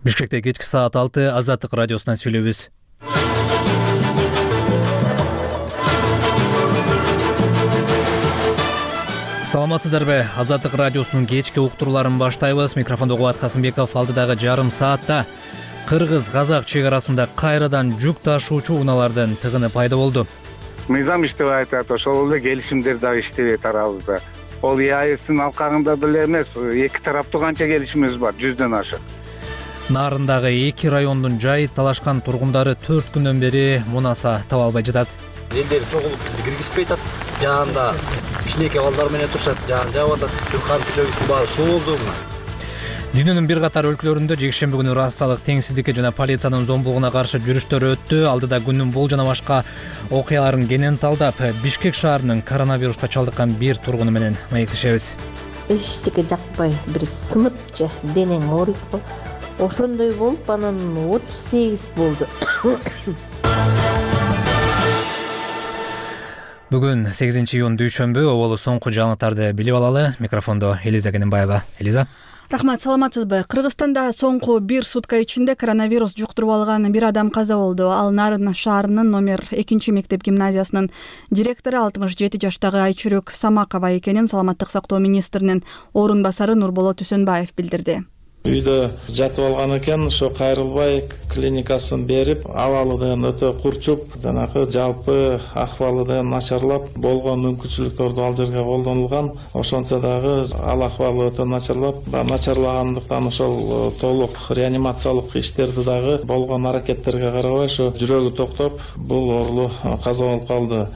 Бишкекте кечки саат 6 Азаттык радиосунан сүйлөйбүз. Саламатсыздарбы? Азаттык радиосунун кечки уктурууларын баштайбыз. Микрофондо Кубат Касымбеков. Алдыдагы жарым саатта Кыргыз-Казак чек арасында кайрадан жүк ташуучу унаалардын тыгыны пайда болду. Мыйзам иштеп атат, ошол эле келишимдер дагы иштебейт арабызда. Ол ЕАЭСтин алкагында деле эмес, эки тараптуу канча келишимибиз бар, 100дөн ашык. Нарындагы 2 райондун жай талашкан тургундары 4 күндөн бери мунаса таба албай жатат. Элдер чогулуп бизди киргизбей атат. Жаанда кичинекей балдар менен турушат, жаан жаап атат. Түркан көчөгүсү баары суу болду. Дүйнөнүн бир катар өлкөлөрүндө жекшемби күнү расалык теңсиздикке жана полициянын зомбулугуна каршы жүрүштөр өттү. Алдыда күндүн бул жана башка окуяларын кенен талдап, Бишкек шаарынын коронавируска чалдыккан бир тургуну менен маектешебиз. Эчтеке жакпай, бир сынып же денең ооруйт го. Ошондой болуп, анан 38 болду. Бүгүн 8-июнь дүйшөмбү, оболу соңку жаңылыктарды билип алалы. Микрофондо Элиза Кененбаева. Элиза. Рахмат, саламатсызбы? Кыргызстанда соңку бир сутка ичинде коронавирус жуктуруп алган бир адам каза болду. Ал Нарын шаарынын номер 2 мектеп гимназиясынын директору 67 жаштагы Айчүрөк Самакова экенин Саламаттык сактоо министринин орун басары Нурболот Үсөнбаев билдирди. Үйдө жатып алган экен, ошо кайрылбай клиникасын берип, абалыдан өтө курчуп, жанагы жалпы акыбалыдан начарлап, болгон мүмкүнчүлүктөрдү ал жерге колдонулган. Ошончо дагы ал акыбалы өтө начарлап, начарлагандыктан ошол толук реанимациялык иштерди дагы болгон аракеттерге карабай, ошо жүрөгү токтоп, бул оорулуу каза болуп калды.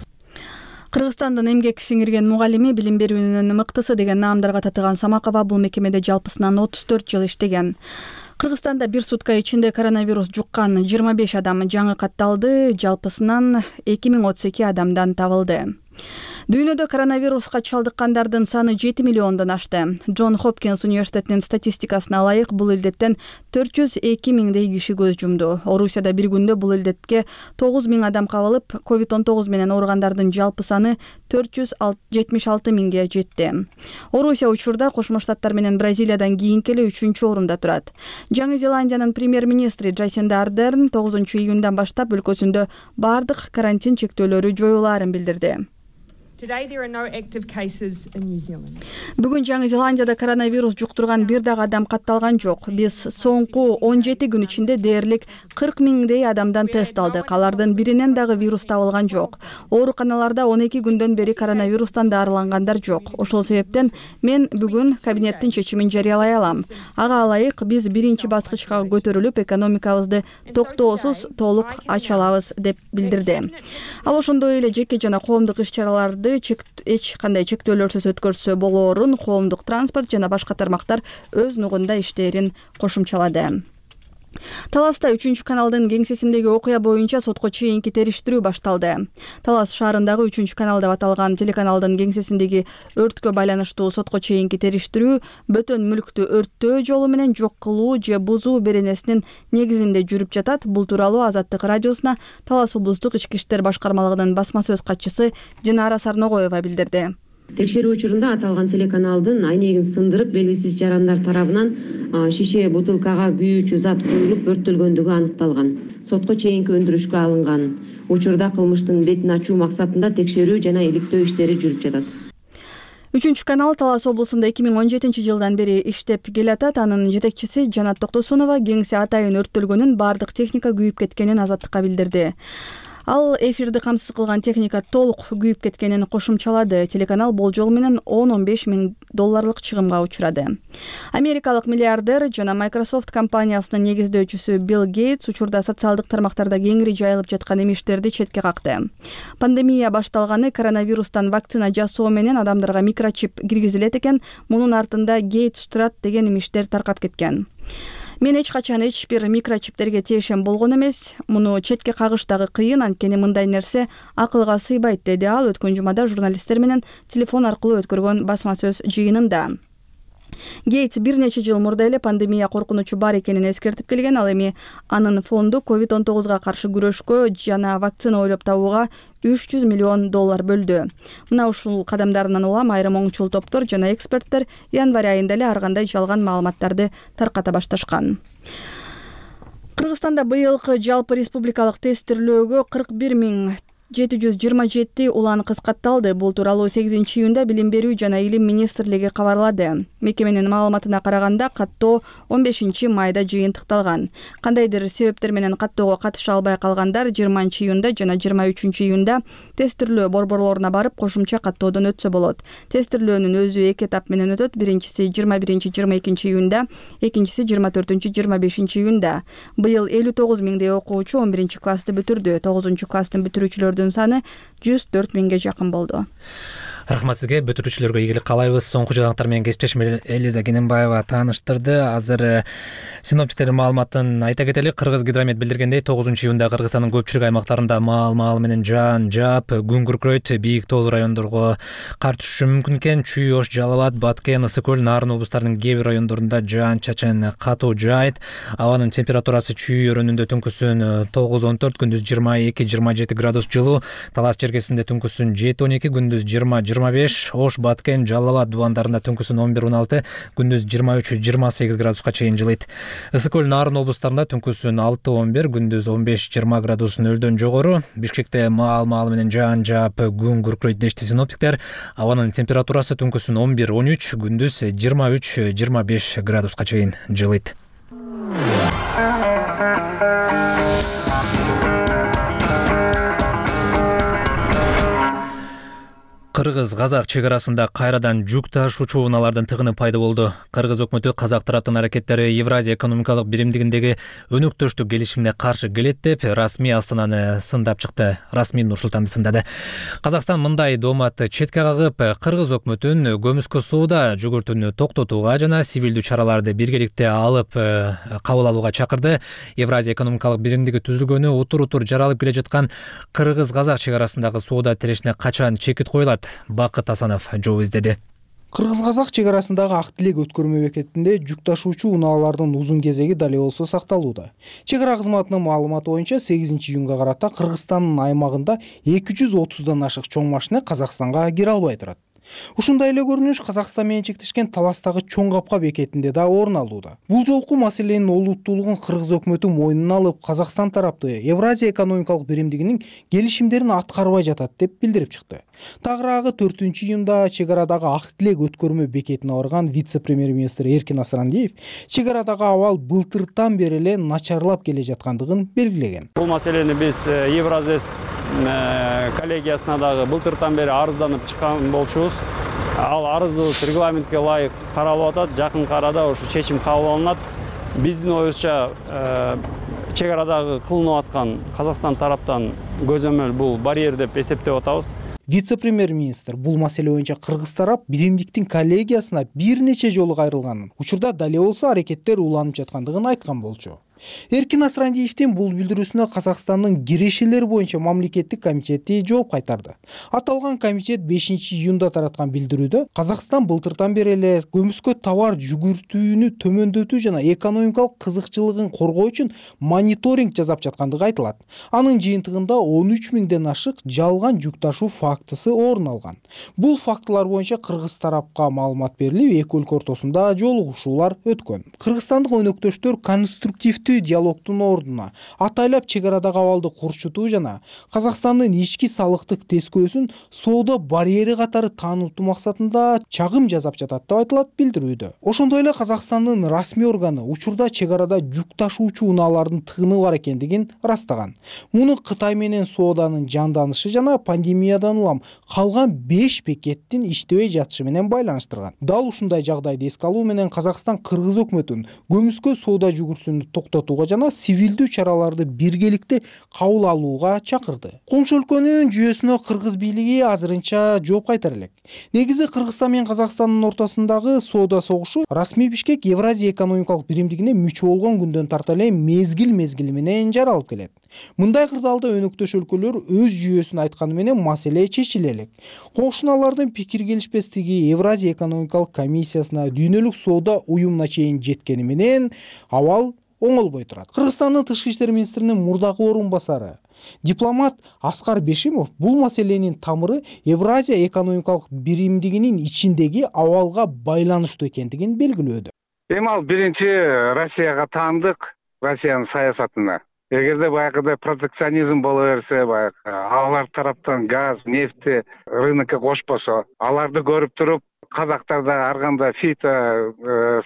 Кыргызстандын эмгек сиңирген мугалими, билим берүүнүн мыктысы деген наамдарга татыган Самакова бул мекемеде жалпысынан 34 жыл иштеген. Кыргызстанда бир сутка ичинде коронавирус жуккан 25 адам жаңы катталды, жалпысынан 2032 адамдан табылды. Дүйнөдө коронавируска чалдыккандардын саны 7 миллиондон ашты. Джон Хопкинс университетинин статистикасына ылайык бул илдеттен 402 миңдей киши көз жумду. Орусияда бир күндө бул илдетке 9 миң адам кабылып, COVID-19 менен ооругандардын жалпы саны 476 миңге жетти. Орусия учурда Кошмо Штаттар менен Бразилиядан кийинки эле 3-орунда турат. Жаңы Зеландиянын премьер-министри Джасинда Ардерн 9 июндан баштап өлкөсүндө бардык карантин чектөөлөрү жоюлаарын билдирди. Бүгүн Жаңы Зеландияда коронавирус жуктурган бир дагы адам катталган жок. Биз соңку 17 күн ичинде дээрлик 40 миңдей адамдан тест алдык. Алардын биринен дагы вирус табылган жок. Ооруканаларда 12 күндөн бери коронавирустан дарылангандар жок. Ошол себептен мен бүгүн кабинеттин чечимин жарыялай алам. Ага ылайык биз биринчи баскычка көтөрүлүп, экономикабызды токтоосуз толук ача алабыз деп билдирди. Ал ошондой эле жеке жана коомдук иш-чараларды эч кандай чектөөлөрсүз өткөрсө болоорун, коомдук транспорт жана башка тармактар өз нугунда иштерин кошумчалады. Таласта 3-каналдын кеңсесиндеги окуя боюнча сотко чейинки териштирүү башталды. Талас шаарындагы 3-канал деп аталган телеканалдын кеңсесиндеги өрткө байланыштуу сотко чейинки териштирүү бөтөн мүлктү өрттөө жолу менен жок кылуу же бузуу беренесинин негизинде жүрүп жатат. Бул тууралуу Азаттык радиосуна Талас облустук ички иштер башкармалыгынын басма сөз катчысы Динара Сарногоева билдирди. Текшерүү учурунда аталган телеканалдын айнегин сындырып, белгисиз жарандар тарабынан шише бутылкага күйүүчү зат куюлуп өрттөлгөндүгү аныкталган. Сотко чейинки өндүрүшкө алынган. Учурда кылмыштын бетин ачуу максатында текшерүү жана иликтөө иштери жүрүп жатат. 3-канал Талас облусунда 2017 жылдан бери иштеп келатат. Анын жетекчиси Жанат Токтосунова кеңсе атайын өрттөлгөнүн, бардык техника күйүп кеткенин Азаттыкка билдирди. Ал эфирди камсыз кылган техника толук күйүп кеткенин кошумчалады. Телеканал болжол менен 10-15 миң долларлык чыгымга учурады. Америкалык миллиардер жана Microsoft компаниясынын негиздөөчүсү Билл Гейтс учурда социалдык тармактарда кеңири жайылып жаткан эмиштерди четке какты. Пандемия башталганы коронавирустан вакцина жасоо менен адамдарга микрочип киргизилет экен, мунун артында Гейтс турат деген эмиштер таркап кеткен. Мен эч качан эч бир микрочиптерге тиешем болгон эмес. Муну четке кагыш дагы кыйын, анткени мындай нерсе акылга сыйбайт, деди ал өткөн жумада журналисттер менен телефон аркылуу өткөргөн басма сөз жыйынында. Гейтс бир нече жыл мурда эле пандемия коркунучу бар экенин эскертип келген. Ал эми анын фонду COVID-19 каршы күрөшкө жана вакцина ойлоп табууга $300 миллион бөлдү. Мына ушул кадамдарынан улам айрым оңчул топтор жана эксперттер январь айында эле ар кандай жалган маалыматтарды тарката башташкан. Кыргызстанда быйылкы жалпы республикалык тестирлөөгө 41.727 улан кыскартылды. Бул тууралуу 8-июнда Билим берүү жана Илим министрлиги кабарлады. Мекеменин маалыматына караганда каттоо 15-майда жыйынтыкталган. Кандайдыр себептер менен каттоого катыша албай калгандар 20-июнда жана 23-июнда тестирлөө борборлоруна барып кошумча каттоодон өтсө болот. Тестирлөөнүн өзү 2 этап менен өтөт. Биринчиси 21-22-июнда, экинчиси 24-25-июнда. Быйыл 59 миңдей окуучу 11 классты бүтүрдү. 9 класстын бүтүрүүчүлөрдүн саны 104 миңге жакын болду. Рахмат сизге. Бүтүрүүчүлөргө ийгилик каалайбыз. Соңку жаңалыктар менен кесиптешим Элиза Кененбаева тааныштырды. Азыр синоптиктердин маалыматын айта кетели. Кыргызгидромет билдиргендей, 9-июнда Кыргызстандын көпчүлүк аймактарында маал менен жаан жаап, күн күркүрөйт. Бийик тоолуу райондорго кар түшүшү мүмкүн экен. Чүй, Ош, Жалал Абад, Баткен, Ысык көл, Нарын облустарынын кээ бир райондорунда жаан-чачын катуу жаайт. Абанын температурасы чүй өрөөнүндө түнкүсүн 9-14, күндүз 22-27 градус жылуу. Талас чергесинде түнкүсүн 7-12, күндүз 20-25, Ош, Баткен, Жалал Абад дубандарында түнкүсүн 11-16, күндүз 23-28 градуска чейин жылыйт. Ысык көл, Нарын облустарында түнкүсүн 6-11, күндүз 15-20 градус нөлдөн жогору. Бишкекте маал менен жаан жаап, күн күркүрөйт дешти синоптиктер. Абанын температурасы түнкүсүн 11-13, күндүз 23-25 градуска чейин жылыйт. Кыргыз-казак чек арасында кайрадан жүк ташуучу унаалардын тыгыны пайда болду. Кыргыз өкмөтү казак тараптын аракеттери Евразия экономикалык биримдигиндеги өнөктөштүк келишимине каршы келет деп расмий Астананы сындап чыкты. Расмий Нур-Султанды сындады. Казакстан мындай дооматты четке кагып, Кыргыз өкмөтүн көмүскө соода жүгүртүүнү токтотууга жана сивилдүү чараларды биргеликте алып кабыл алууга чакырды. Евразия экономикалык биримдиги түзүлгөнү утур жаралып келе жаткан Кыргыз-казак чек арасындагы соода тирешине качан чекит коюлат? Бакыт Асанов жооп издеди. Кыргыз-казак чек арасындагы Ак Тилек өткөрмө бекетинде жүк ташуучу унаалардын узун кезеги дале болсо сакталууда. Чек ара кызматынын маалыматы боюнча 8-июнга карата Кыргызстандын аймагында 230дан ашык чоң машина Казакстанга кире албай турат. Ушундай эле көрүнүш Казакстан менен чектешкен Таластагы Чоң Капка бекетинде да орун алууда. Бул жолку маселенин олуттуулугун Кыргыз өкмөтү мойнуна алып, Казакстан тарапты Евразия экономикалык биримдигинин келишимдерин аткарбай жатат деп билдирип чыкты. Тагыраагы 4-июнда чек арадагы Ак Тилек өткөрмө бекетине барган вице-премьер-министр Эркин Асрандиев чек арадагы абал былтыртан бери эле начарлап келе жаткандыгын белгилеген. Бул маселени биз Евразия коллегиясына дагы былтыртан бери арызданып чыккан болчубуз. Ал арызыбыз регламентке ылайык каралып атат. Жакын арада ушу чечим кабыл алынат. Биздин оюбузча чек арадагы кылынып аткан Казакстан тараптан көзөмөл бул барьер деп эсептеп атабыз. Вице-премьер-министр бул маселе боюнча Кыргыз тарап биримдиктин коллегиясына бир нече жолу кайрылганын, учурда дале болсо аракеттер уланып жаткандыгын айткан болчу. Эркин Асрандиевдин бул билдирүүсүнө Казакстандын кирешелер боюнча мамлекеттик комитети жооп кайтарды. Аталган комитет 5-июнда тараткан билдирүүдө Казакстан былтыртан бери эле көмүскө товар жүгүртүүнү төмөндөтүү жана экономикалык кызыкчылыгын коргоо үчүн мониторинг жасап жаткандыгы айтылат. Анын жыйынтыгында 13 миңден ашык жалган жүк ташуу фактысы орун алган. Бул фактылар боюнча Кыргыз тарапка маалымат берилип, эки өлкө ортосунда жолугушуулар өткөн. Кыргызстандык өнөктөштөр конструктивдүү диалогдун ордуна атайлап чек арадагы абалды курчутуу жана Казакстандын ички салыктык тескөөсүн соода барьери катары таанытуу максатында чагым жасап жатат деп айтылат билдирүүдө. Ошондой эле Казакстандын расмий органы учурда чек арада жүк ташуучу унаалардын тыгыны бар экендигин ырастаган. Муну Кытай менен сооданын жанданышы жана пандемиядан улам калган 5 бекеттин иштебей жатышы менен байланыштырган. Дал ушундай жагдайды эске алуу менен Казакстан Кыргыз өкмөтүн көмүскө соода жүгүртүүнү токтотууга жана сивилдүү чараларды биргеликте кабыл алууга чакырды. Коңшу өлкөнүн жүйөсүнө Кыргыз бийлиги азырынча жооп кайтара элек. Негизи Кыргызстан менен Казакстандын ортосундагы соода согушу расмий Бишкек Евразия экономикалык биримдигине мүчө болгон күндөн тарта эле мезгил менен жаралып келет. Мындай кырдаалда өнөктөш өлкөлөр өз жүйөсүн айтканы менен маселе чечиле элек. Кошуналардын пикир келишпестиги Евразия экономикалык комиссиясына, дүйнөлүк соода уюмуна чейин жеткени менен абал оңолбой турат. Кыргызстандын тышкы иштер министринин мурдагы орун басары дипломат Аскар Бешимов бул маселенин тамыры Евразия экономикалык биримдигинин ичиндеги абалга байланыштуу экендигин белгилөөдө. Эми ал биринчи Россияга таандык Россиянын саясатына. Эгерде баягыдай протекционизм боло берсе, баягы алар тараптан газ, нефти рынокко кошпосо, аларды көрүп туруп, казактар да ар кандай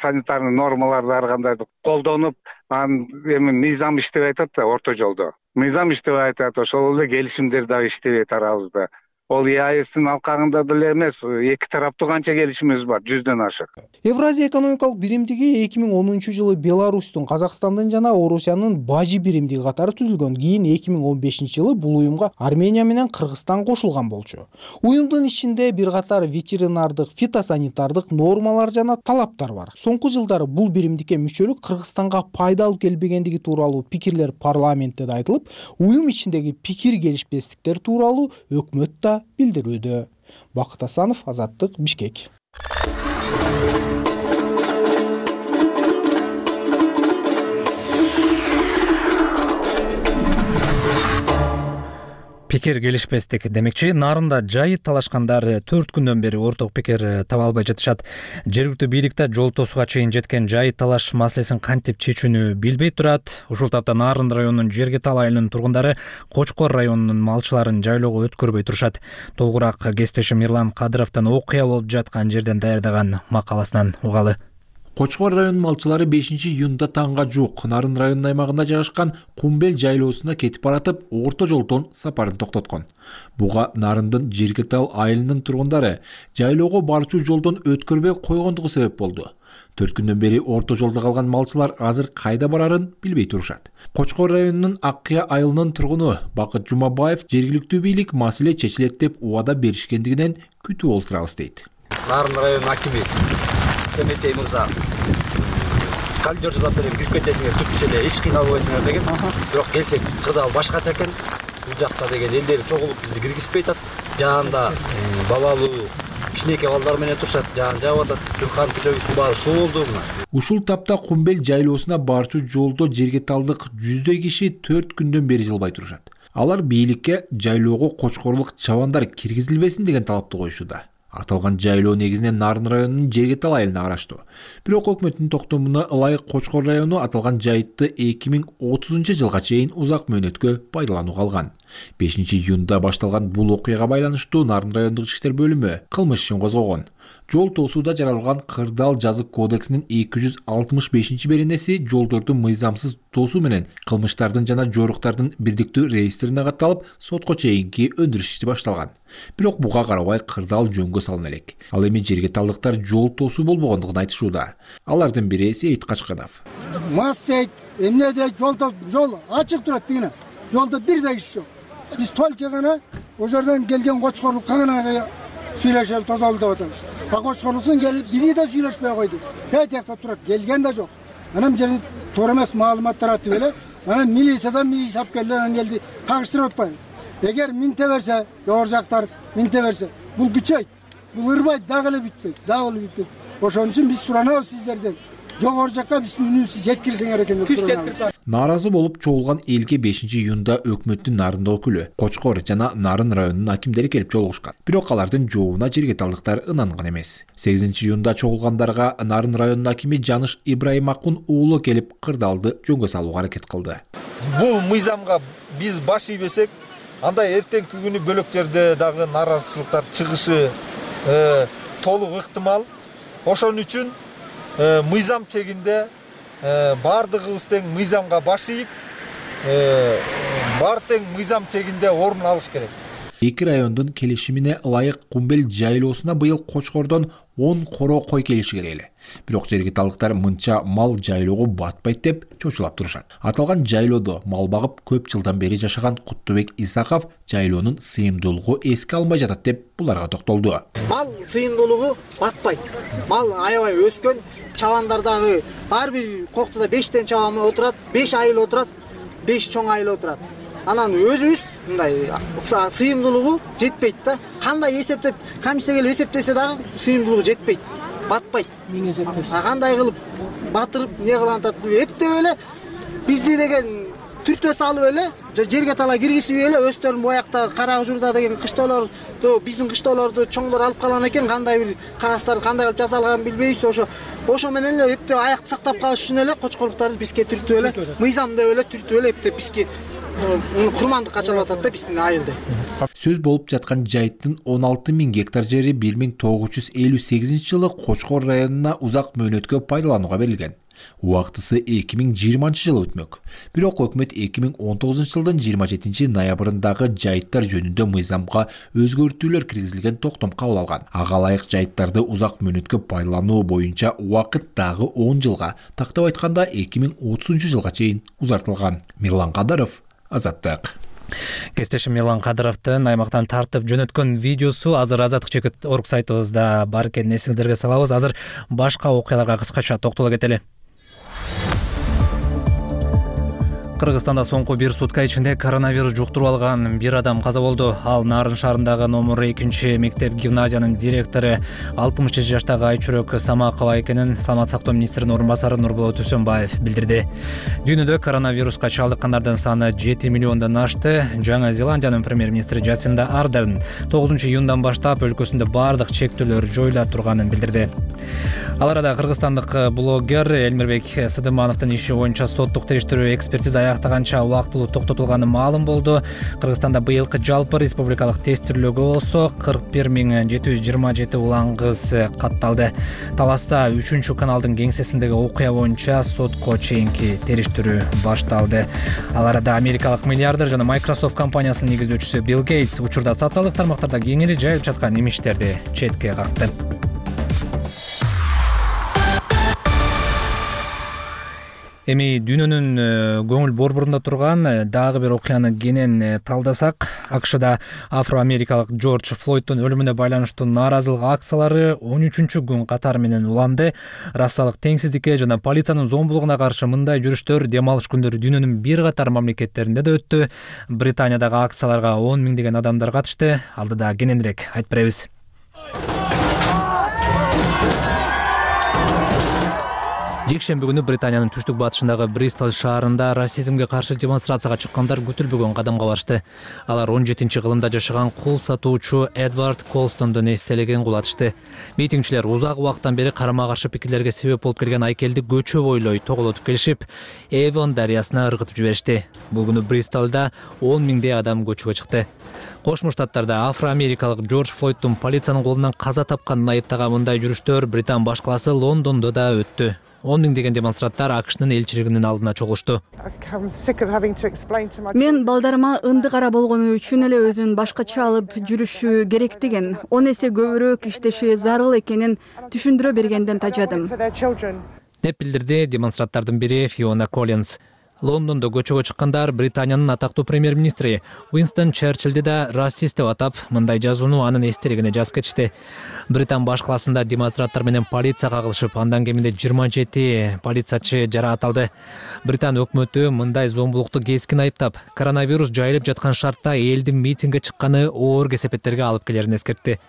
санитарный нормаларды ар кандай колдонуп, анан эми мыйзам иштебей атат да орто жолдо. Мыйзам иштебей атат, ошол эле келишимдер дагы иштебей тарабызда. Ол ЕАЭСтин алкагында деле эмес, эки тараптуу канча келишимибиз бар, 100дөн ашык. Евразия экономикалык биримдиги 2010 жылы Беларустун, Казакстандын жана Орусиянын бажы биримдиги катары түзүлгөн. Кийин 2015 жылы бул уюмга Армения менен Кыргызстан кошулган болчу. Уюмдун ичинде бир катар ветеринардык, фитосанитардык нормалар жана талаптар бар. Соңку жылдары бул биримдикке мүчөлүк Кыргызстанга пайда алып келбегендиги тууралуу пикирлер парламентте да айтылып, уюм ичиндеги пикир келишпестиктер тууралуу өкмөт да билдирүүдө. Бакыт Асанов, Азаттык, Бишкек. Пикир келишпестик демекчи, нарында жайыт талашкандар 4 күндөн бери орток пикир таба албай жатышат. Жергиликтүү бийликте жол тосууга чейин жеткен жайыт талаш маселесин кантип чечүүнү билбей турат. Ушул тапта Нарын районунун Жергетал айылынын тургундары Кочкор районунун малчыларын жайлоого өткөрбөй турушат. Толугураак кесиптешим Мирлан Кадыровдон окуя болуп жаткан жерден даярдаган макаласынан угалы. Кочкор районунун малчылары 5-июнда таңга жуук Нарын районунун аймагында жайгашкан Кумбел жайлоосуна кетип баратып, орто жолдон сапарын токтоткон. Буга Нарындын Жергетал айылынын тургундары жайлоого барчу жолдон өткөрбөй койгондугу себеп болду. 4 күндөн бери орто жолдо калган малчылар азыр кайда барарын билбей турушат. Кочкор районунун Аккыя айылынын тургуну Бакыт Жумабаев жергиликтүү бийлик маселе чечилет деп убада беришкендигинен күтүп олтурабыз дейт. Нарын районунун акими Семетей мырза кальдер жасап берем, кирип кетесиңер, түптүш эле, эч кыйналбайсыңар деген. Бирок келсек, кырдаал башкача экен. Бул жакта деген элдери чогулуп бизди киргизбей атат. Жаанда балалуу кичинекей балдар менен турушат, жаан жаап атат. Журкан түшөгүсү баары суу болду мына. Ушул тапта Кумбел жайлоосуна барчу жолдо жергеталдык 100 киши 4 күндөн бери жылбай турушат. Алар бийликке жайлоого кочкорлук чабандар киргизилбесин деген талапты коюшууда. Аталган жайлоо негизинен Нарын районунун Жергетал айылына караштуу. Бирок өкмөттүн токтомуна ылайык Кочкор району аталган жайтты 2030 жылга чейин узак мөөнөткө пайдаланууга алган. 5-июнда башталган бул окуяга байланыштуу Нарын райондук ички иштер бөлүмү кылмыш ишин козгогон. Жол тосууда жаралган Кырдаал жазык кодексинин 265-беренеси жолдорду мыйзамсыз тосуу менен кылмыштардын жана жоруктардын бирдиктүү реестрине катталып, сотко чейинки өндүрүш иши башталган. Бирок буга карабай Кырдаал жөнгө салына элек. Ал эми жергеталдыктар жол тосуу болбогондугун айтышууда. Алардын бири Сейит Качканов. Мас дейт, эмне дейт, жол ачык турат дегене. Жолдо бир да иш жок. Биз только гана о жерден келген кочкорлукка гана сүйлөшүп тазалып деп атабыз. Кочкорлуктун келип бири да сүйлөшпөй койду. Тиякта турат, келген да жок. Анан жерде туура эмес маалыматтар атып эле, анан милициядан сапкерлер келди, кагыштырып атпайбы. Эгер минте берсе, жогору жактар минте берсе, бул күчөйт. Бул ырбайт, дагы эле бүтпөйт. Ошон үчүн биз суранабыз сиздерден. Жогору жакка биздин үнүбүздү жеткирсеңер экен деп суранабыз. Нааразы болуп чогулган элге 5-июнда өкмөттүн Нарында өкүлү, Кочкор жана Нарын районунун акимдери келип жолугушкан. Бирок алардын жообуна жергеталдыктар ынанган эмес. 8-июнда чогулгандарга Нарын районунун акими Жаныш Ибраимакун уулу келип кырдаалды жөнгө салууга аракет кылды. Бул мыйзамга биз баш ийбесек, анда эртеңки күнү бөлөктерде дагы нааразычылыктар чыгышы толук ыктымал. Ошон үчүн мыйзам чегинде бардыгыбыз тең мыйзамга баш ийип, баары тең мыйзам чегинде орун алыш керек. Эки райондун келишимине ылайык Кумбел жайлоосуна быйыл Кочкордон 10 коро кой келиши керек эле. Бирок жергеталдыктар мынча мал жайлоого батпайт деп чочулап турушат. Аталган жайлоодо мал багып көп жылдан бери жашаган Куттубек Исаков жайлоонун сыйымдуулугу эске алынбай жатат деп буларга токтолду. Мал сыйымдуулугу батпайт. Мал аябай өскөн, чабандардагы ар бир коктода 5 чабан отурат, 5 айыл отурат, 5 чоң айыл отурат. Анан өзүбүз мындай сыйымдуулугу жетпейт да. Кандай эсептеп, комиссия келип эсептесе дагы сыйымдуулугу жетпейт. Батпайт. Кандай кылып батырып, не кылып атат, эптеп эле бизди деген түртө салып эле жерге тала киргизбей эле өздөрүн боякта кара ужурда деген кыштоолорду биздин кыштоолорду чоңдор алып калган экен, кандай бир кагаздарды кандай кылып жасалганын билбейбиз. Ошо менен эле эптеп аякты сактап калыш үчүн эле кочкорлуктарды бизге түртүп эле мыйзам деп эле түртүп эле эптеп бизге курмандыкка чалып атат да биздин айылды. Сөз болуп жаткан жайыттын 16.000 гектар жери 1958 жылы Кочкор районуна узак мөөнөткө пайдаланууга берилген. Убактысы 2020 жылы өтмөк. Бирок өкмөт 2019 жылдын 27 ноябрындагы жайыттар жөнүндө мыйзамга өзгөртүүлөр киргизилген токтом кабыл алган. Ага ылайык жайыттарды узак мөөнөткө пайдалануу боюнча убакыт дагы 10 жылга, тактап айтканда 2030 жылга чейин узартылган. Мирлан Кадыров, Азаттык. Кесиптешим Мирлан Кадыровдун аймактан тартып жөнөткөн видеосу азыр azattik.org сайтыбызда бар экенин эсиңиздерге салабыз. Азыр башка окуяларга кыскача токтоло кетели. Кыргызстанда соңку бир сутка ичинде коронавирус жуктуруп алган бир адам каза болду. Ал Нарын шаарындагы номер 2 мектеп гимназиянын директору 67 жаштагы Айчүрөк Самакова экенин Саламат сактоо министринин орун басары Нурболот Үсөнбаев билдирди. Дүйнөдө коронавируска чалдыккандардын саны 7 миллиондон ашты. Жаңа Зеландиянын премьер-министри Жасинда Ардерн 9 июндан баштап өлкөсүндө бардык чектөөлөр жоюла турганын билдирди. Ал арада кыргызстандык блогер Элмирбек Сыдымановдун иши боюнча соттук териштирүү экспертиза аяктаганча убактылуу токтотулганы маалым болду. Кыргызстанда быйылкы жалпы республикалык тестирлөөгө болсо 41.727 улангыз катталды. Таласта 3 каналдын кеңсесиндеги окуя боюнча сотко чейинки териштирүү башталды. Ал арада америкалык миллиардер жана Microsoft компаниясынын негиздөөчүсү Билл Гейтс учурда социалдык тармактарда кеңири жайылып жаткан имиштерди четке какты. Эми дүйнөнүн көңүл борборунда турган дагы бир окуяны кенен талдасак, АКШда афро-америкалык Джордж Флойдтун өлүмүнө байланыштуу нааразылык акциялары 13-күн катары менен уланды. Расалык теңсиздикке жана полициянын зомбулугуна каршы мындай жүрүштөр дем алыш күндөрү дүйнөнүн бир катар мамлекеттеринде да өттү. Британиядагы акцияларга 10 миңдеген адамдар катышты. Алдыда кененирээк айтып беребиз. Жекшемби күнү Британиянын түштүк батышындагы Бристол шаарында расизмге каршы демонстрацияга чыккандар күтүлбөгөн кадамга барышты. Алар 17-кылымда жашаган кул сатуучу Эдвард Колстондун эстелигин кулатышты. Митингчилер узак убакыттан бери карама-каршы пикирлерге себеп болуп келген айкелди көчө бойлой тоголотуп келишип, Эвон дарыясына ыргытып жиберишти. Бул күнү Бристолдо 10 миңдей адам көчөгө чыкты. Кошмо Штаттарда афро-америкалык Джордж Флойдтун полициянын колунан каза тапканын айыптаган мындай жүрүштөр Британ баш калаасы Лондондо да өттү. 10 миңдеген демонстранттар АКШнын элчилигинин алдына чогулушту. Мен балдарыма ынды кара болгону үчүн эле өзүн башкача алып жүрүшү керектигин, 10 эсе көбүрөөк иштеши зарыл экенин түшүндүрө бергенден тажадым. Деп билдирди демонстранттардын бири Фиона Коллинс. Лондондо көчөгө чыккандар Британиянын атактуу премьер-министри Уинстон Черчиллди да расист деп атап, мындай жазууну анын эстелигине жазып кетишти. Британ баш калаасында демонстранттар менен полиция кагылышып, андан кеминде 27 полициячы жараат. Британ өкмөтү мындай зомбулукту кескин айыптап, коронавирус жайылып жаткан шартта элдин митингге чыкканы оор кесепеттерге алып келерин эскертти.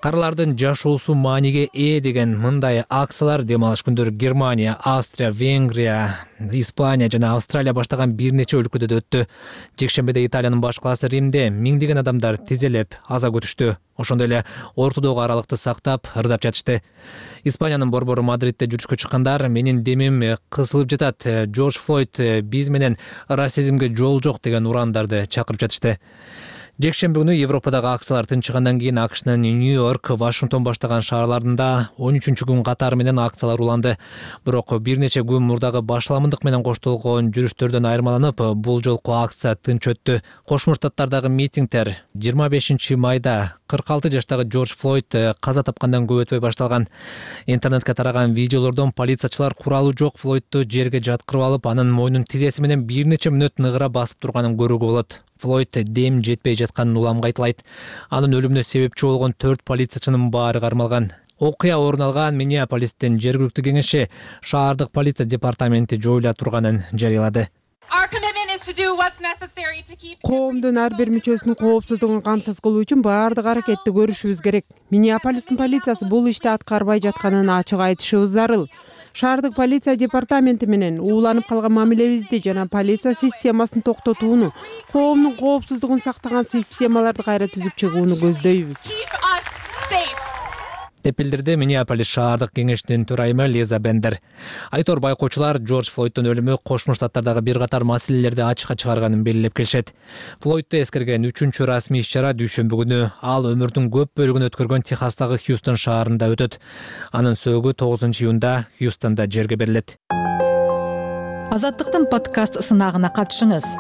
Каралардын жашоосу мааниге ээ деген мындай акциялар дем алыш күндөрү Германия, Австрия, Венгрия, Испания жана Австралия баштаган бир нече өлкөдө да өттү. Жекшембиде Италиянын баш калаасы Римде миңдеген адамдар тизелеп аза күтүштү. Ошондой эле ортодогу аралыкты сактап, ырдап жатышты. Испаниянын борбору Мадридде жүрүшкө чыккандар менин демим кысылып жатат. Джордж Флойд биз менен расизмге жол жок деген урандарды чакырып жатышты. Жекшемби күнү Европадагы акциялар тынчыгандан кийин АКШнын Нью-Йорк, Вашингтон баштаган шаарларында 13-күн катары менен акциялар уланды. Бирок бир нече күн мурдагы башаламындык менен коштолгон жүрүштөрдөн айырмаланып, бул жолку акция тынч өттү. Кошмо Штаттардагы митингдер 25 майда 46 жаштагы Джордж Флойд каза тапкандан көп өтпөй башталган. Интернетке тараган видеолордон полициячылар куралы жок Флойдту жерге жаткырып алып, анын мойнун тизеси менен бир нече мүнөт ныгыра басып турганын көрүүгө болот. Флойд дем жетпей жатканын уламга айтылайт. Анын өлүмүнө себепчи болгон 4 полициячынын баары кармалган. Окуя орун алган Миннеаполистин жергиликтүү кеңеши шаардык полиция департаменти жоюла турганын жарыялады. Коомдун ар бир мүчөсүнүн коопсуздугун камсыз кылуу үчүн баардык аракетти көрүшүбүз керек. Миннеаполистин полициясы бул ишти аткарбай жатканын ачык айтышыбыз зарыл. Шаардык полиция департаменти менен ууланып калган мамилебизди жана полиция системасын токтотууну, коомдун коопсуздугун сактаган системаларды кайра түзүп чыгууну көздөйбүз деп билдирди Миннеаполис шаардык кеңешинин төрайымы Лиза Бендер. Айтор байкоочулар Джордж Флойддун өлүмү Кошмо Штаттардагы бир катар маселелерди ачыкка чыгарганын белгилеп келишет. Флойдду эскерген 3-чү расмий иш-чара дүйшөмбү күнү ал өмүрүнүн көп бөлүгүн өткөргөн Техастагы Хьюстон шаарында өтөт. Анын сөөгү 9-июнда Хьюстонда жерге берилет. Азаттыктын подкаст сынагына катышыңыз.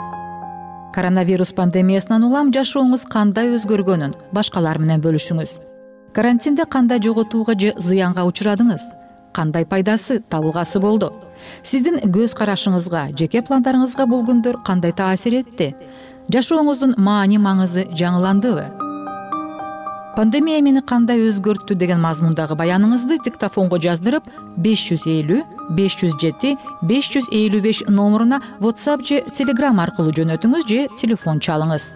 Коронавирус пандемиясынан улам жашооңуз кандай өзгөргөнүн башкалар менен бөлүшүңүз. Карантинде кандай жоготууга же зыянга учурадыңыз? Кандай пайдасы, табылгасы болду? Сиздин көз карашыңызга, жеке пландарыңызга бул күндөр кандай таасир этти? Жашооңуздун маани-маңызы жаңыландыбы? Пандемия мени кандай өзгөрттү деген мазмундагы баяныңызды диктофонго жаздырып 550 507 555 номуруна WhatsApp же Telegram аркылуу жөнөтүңүз же телефон чалыңыз.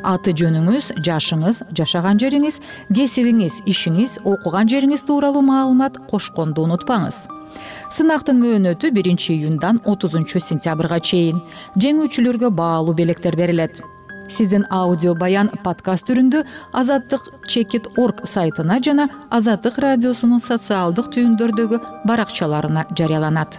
Аты жөнүңүз, жашыңыз, жашаган жериңиз, кесибиңиз, ишиңиз, окуган жериңиз тууралуу маалымат кошконду унутпаңыз. Сынактын мөөнөтү 1-июндан 30-сентябрга чейин. Жеңүүчүлөргө баалуу белектер берилет. Сиздин аудио баян подкаст түрүндө azatdыk.org сайтына жана Азаттык радиосунун социалдык түйүндөрдөгү баракчаларына жарыяланат.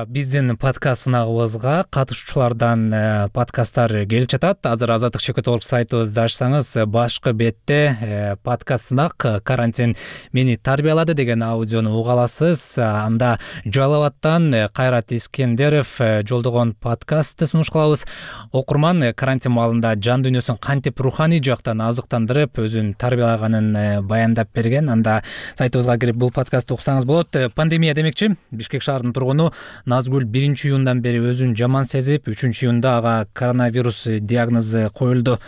Биздин подкаст сынагыбызга катышуучулардан подкасттар келип жатат. Азыр azatdыk.org сайтыбызды ачсаңыз, башкы бетте подкаст сынак карантин мени тарбиялады деген аудиону уга аласыз. Анда Жалал абадтан Кайрат Искендеров жолдогон подкастты сунуш кылабыз. Окурман карантин маалында жан дүйнөсүн кантип руханий жактан азыктандырып, өзүн тарбиялаганын баяндап берген. Анда сайтыбызга кирип бул подкастты уксаңыз болот. Пандемия демекчи, Бишкек шаарынын тургуну Назгүл 1-июндан бери өзүн жаман сезип, 3-июнда ага коронавирус диагнозу коюлду.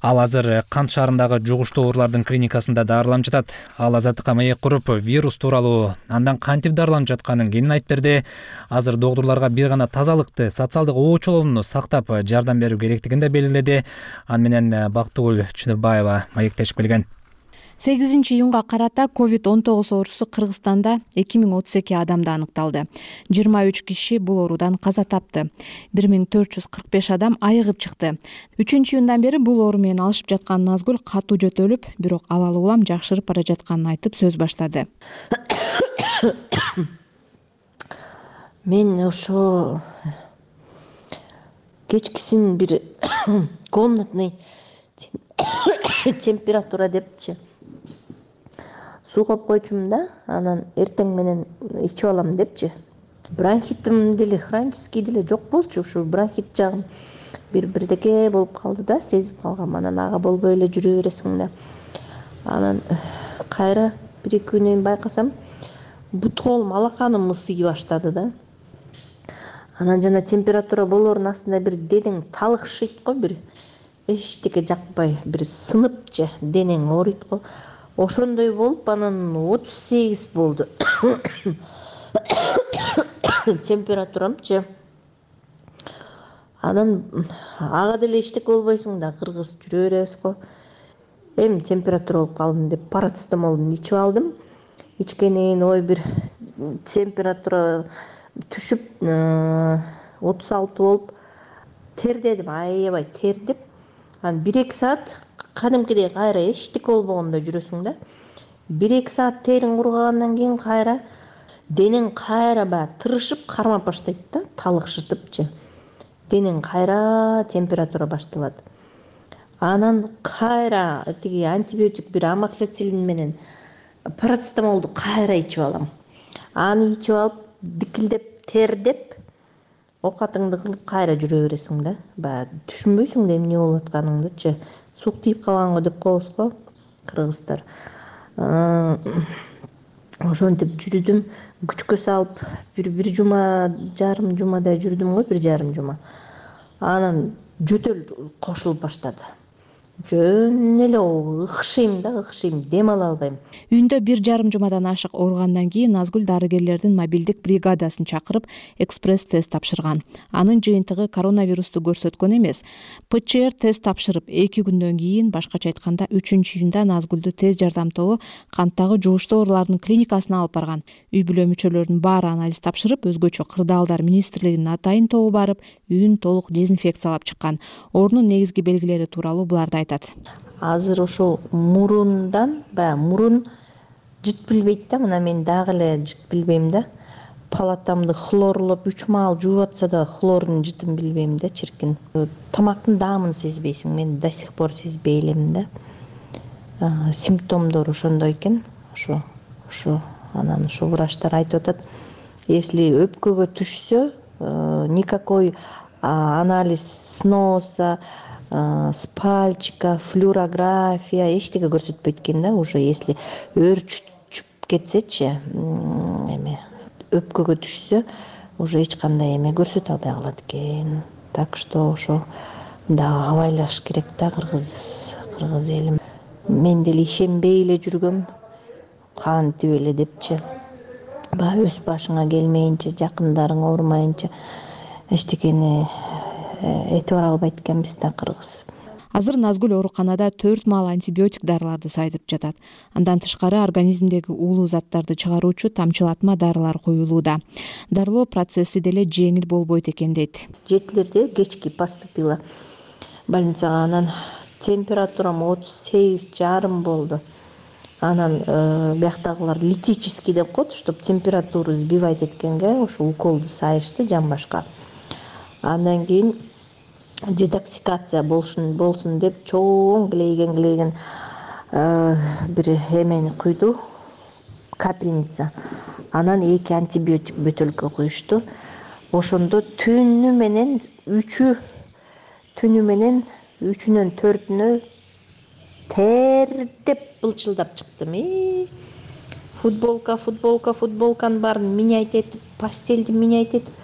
Ал азыр Кант шаарындагы жугуштуу оорулардын клиникасында дарыланып жатат. Ал Азаттыкка маек куруп, вирус тууралуу андан кантип дарыланып жатканын кеңин айтып берди. Азыр доктурларга бир гана тазалыкты, социалдык оочолоону сактап жардам берүү керектигин да белгиледи. Аны менен Бактыгүл Чыныбаева маектешип келген. 8-июнга карата COVID-19 оорусу Кыргызстанда 2032 адамда аныкталды. 23 киши бул оорудан каза тапты. 1445 адам айыгып чыкты. 3-июндан бери бул оору менен алышып жаткан Назгүл катуу жөтөлүп, бирок абалы улам жакшырып бара жатканын айтып сөз баштады. Мен ошо кечкисин бир комнатный температура депчи суу коюп койчумун да, анан эртең менен ичип алам депчи. Бронхитим деле, хронический деле жок болчу, ушу бронхит жагым бирдеке болуп калды да, сезип калгам. Анан ага болбой эле жүрө бересиң да. Анан кайра 1-2 күнөн байкасам, бут колум, алаканым ысый баштады да. Анан жана температура болоорунун астында бир денең талыкшыйт го, бир эчтеке жакпай, бир сынып же денең ооруйт го. Ошондой болуп, анан 38 болду. Температурамчы. Анан ага деле эчтеке болбойсуң да, кыргыз жүрө беребиз го. Эми температура болуп калдым деп парацетамолду ичип алдым. Ичкенен ой бир температура түшүп 36 болуп тердедим, аябай тердеп. Анан 1-2 саат кадимкидей кайра эчтеке болбогондой жүрөсүң да. 1-2 саат териң кургагандан кийин кайра денең кайра баягы тырышып кармап баштайт да, талыкшытыпчы. Денең кайра температура башталат. Анан кайра тиги антибиотик бир амоксициллин менен парацетамолду кайра ичип алам. Аны ичип алып, дикилдеп, тердеп, оокатыңды кылып кайра жүрө бересиң да. Баягы түшүнбөйсүң да эмне болуп атканыңдычы. Сук тийип калганго деп коебуз го кыргыздар. Ошентип жүрдүм, күчкө салып, бир жума, жарым жумадай жүрдүм го, 1,5 жума. Анан жөтөл кошулуп баштады. жөн эле ыкшыйм да, дем ала албайм. Үйүндө 1,5 жумадан ашык ооругандан кийин Назгүл дарыгерлердин мобилдик бригадасын чакырып экспресс тест тапшырган. Анын жыйынтыгы коронавирусту көрсөткөн эмес. ПЧР тест тапшырып 2 күндөн кийин, башкача айтканда 3-июнда Назгүлдү тез жардам тобу канттагы жугуштуу оорулардын клиникасына алып барган. Үй бүлө мүчөлөрүнүн баары анализ тапшырып, өзгөчө Кырдаалдар министрлигинин атайын тобу барып, үйүн толук дезинфекциялап чыккан. Оорунун негизги белгилери тууралуу буларды айтат. Азыр ошо мурундан, баягы мурун жыт билбейт да, мына мен дагы эле жыт билбейм да. Палатамды хлорлоп 3 маал жууп атса да хлордун жытын билбейм да, чиркин. Тамактын даамын сезбейсиң, мен до сих пор сезбей элем да. Симптомдор ошондой экен. Ошо анан ошо врачтар айтып атат, если өпкөгө түшсө, никакой анализ сноса, спальчика, флюорография эчтеке көрсөтпөйт экен да. Уже если өөрчүп кетсечи, эме өпкөгө түшсө, уже эч кандай эме көрсөтө албай калат экен. Так что ошо да абайлаш керек да, кыргыз элим. Мен деле ишенбей эле жүргөм, кантип эле депчи. Баягы өз башыңа келмейинче, жакындарың оорумайынча эчтекени этибар албайт экенбиз да кыргыз. Азыр Назгүл ооруканада 4 маал антибиотик дарыларды сайдырып жатат. Андан тышкары организмдеги уулуу заттарды чыгаруучу тамчылатма дарылар коюлууда. Дарылоо процесси деле жеңил болбойт экен дейт. Жетилерде кечки поступила больницага, анан температурам 38,5 болду. Анан бияктагылар литический деп коет, чтоб температуру сбивать эткенге ошо уколду сайышты жамбашка. Андан кийин детоксикация болсун деп чоң клейген бир эмени куйду, капельница. Анан 2 антибиотик бөтөлкө куюшту. Ошондо түнү менен 3-үнөн 4-үнө тердеп былчылдап чыктым. Футболканын баарын менять этип, постельди менять этип,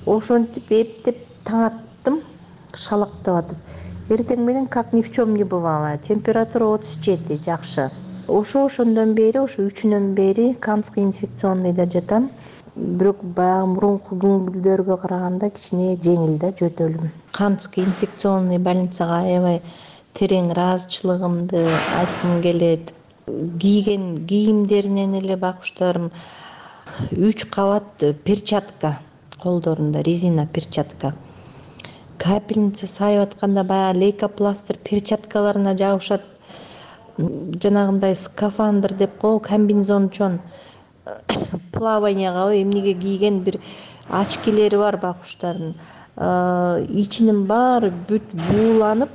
ошентип эптеп таң аттым, шалактап атып. Эртең менен как ни в чем не бывало. Температура 37, жакшы. Ошондон бери, 3-үнөн бери Канский инфекционныйда жатам. Бирок баягы мурунку күнгүлдөргө караганда кичине жеңил да жөтөлүм. Канский инфекционный больницага аябай терең ыраазычылыгымды айткым келет. Кийген кийимдеринен эле бакуштарым 3 кабат перчатка, колдорунда резина перчатка. Капельница сайып атканда баягы лейкопластырь перчаткаларына жабышат. Жанагындай скафандр деп кой, комбинезончон плаванияга эмнеге кийген бир очкилери бар бакуштардын. Ичинин баары бүт бууланып,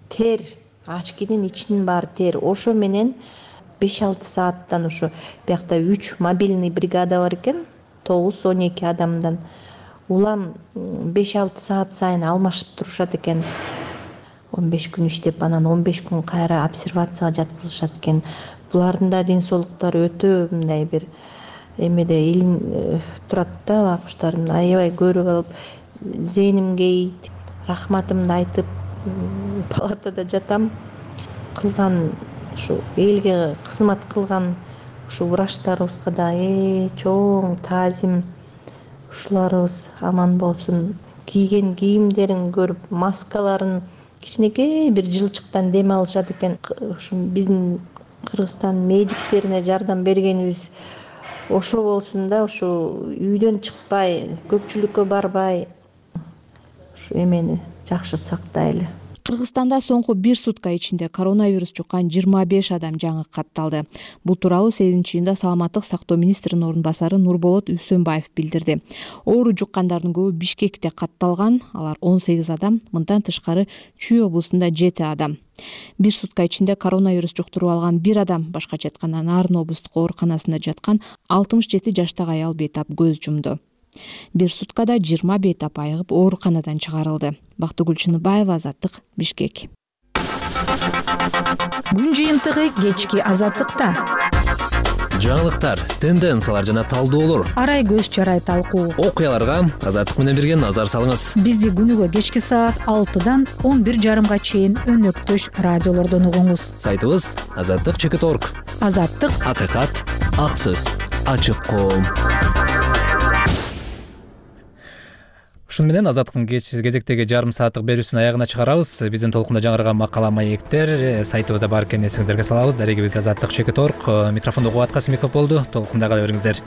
тер, очкинин ичинин баары тер. Ошо менен 5-6 сааттан ошо биякта 3 мобильный бригада бар экен, 9-12 адамдан. Улам 5-6 саат сайын алмашып турушат экен. 15 күн иштеп, анан 15 күн кайра обсервацияга жаткызышат экен. Булардын да ден соолуктары өтө мындай бир эмеде турат да, бакуштардын. Аябай көрүп алып, зээним кейит, рахматымды айтып, палатада жатам. Кылган ушу элге кызмат кылган ушу врачтарыбызга да чоң таазим. Ушуларыбыз аман болсун. Кийген кийимдерин көрүп, маскаларын кичинекей бир жылчыктан дем алышат экен. Ушу биздин Кыргызстан медиктерине жардам бергенибиз ошо болсун да, ушу үйдөн чыкпай, көпчүлүккө барбай, ушу эмени жакшы сактайлы. Кыргызстанда соңку 1 сутка ичинде коронавирус жуккан 25 адам жаңы катталды. Бул тууралуу 8-июнда Саламаттык сактоо министринин орун басары Нурболот Үсөнбаев билдирди. Оору жуккандардын көбү Бишкекте катталган, алар 18 адам, мындан тышкары Чүй облусунда 7 адам. 1 сутка ичинде коронавирус жуктуруп алган 1 адам, башкача айтканда Нарын облустук ооруканасында жаткан 67 жаштагы аял бейтап көз жумду. 1 суткада 20 бейтап айыгып ооруканадан чыгарылды. Бактыгүл Чыныбаева, Азаттык, Бишкек. Күн жыйынтыгы кечки Азаттыкта. жаңылыктар, тенденциялар жана талдоолор, арай көз чарай талкуу, окуяларга Азаттык менен бирге назар салыңыз. бизди күнүгө кечки саат 6-дан 11:30 чейин өнөктөш радиолордон угуңуз. Сайтыбыз azаттык.org. Азаттык, акыйкат, ак сөз, ачык коом. Ушун менен Азаттыктын кезектеги жарым сааттык берүүсүн аягына чыгарабыз. Биздин толкунда жаңырган макала маектер сайтыбызда бар экенин эсиңиздерге салабыз. Дарегибиз Азаттык.org. Микрофондо Кубат Касымбеков болду. Толкунда кала бериңиздер.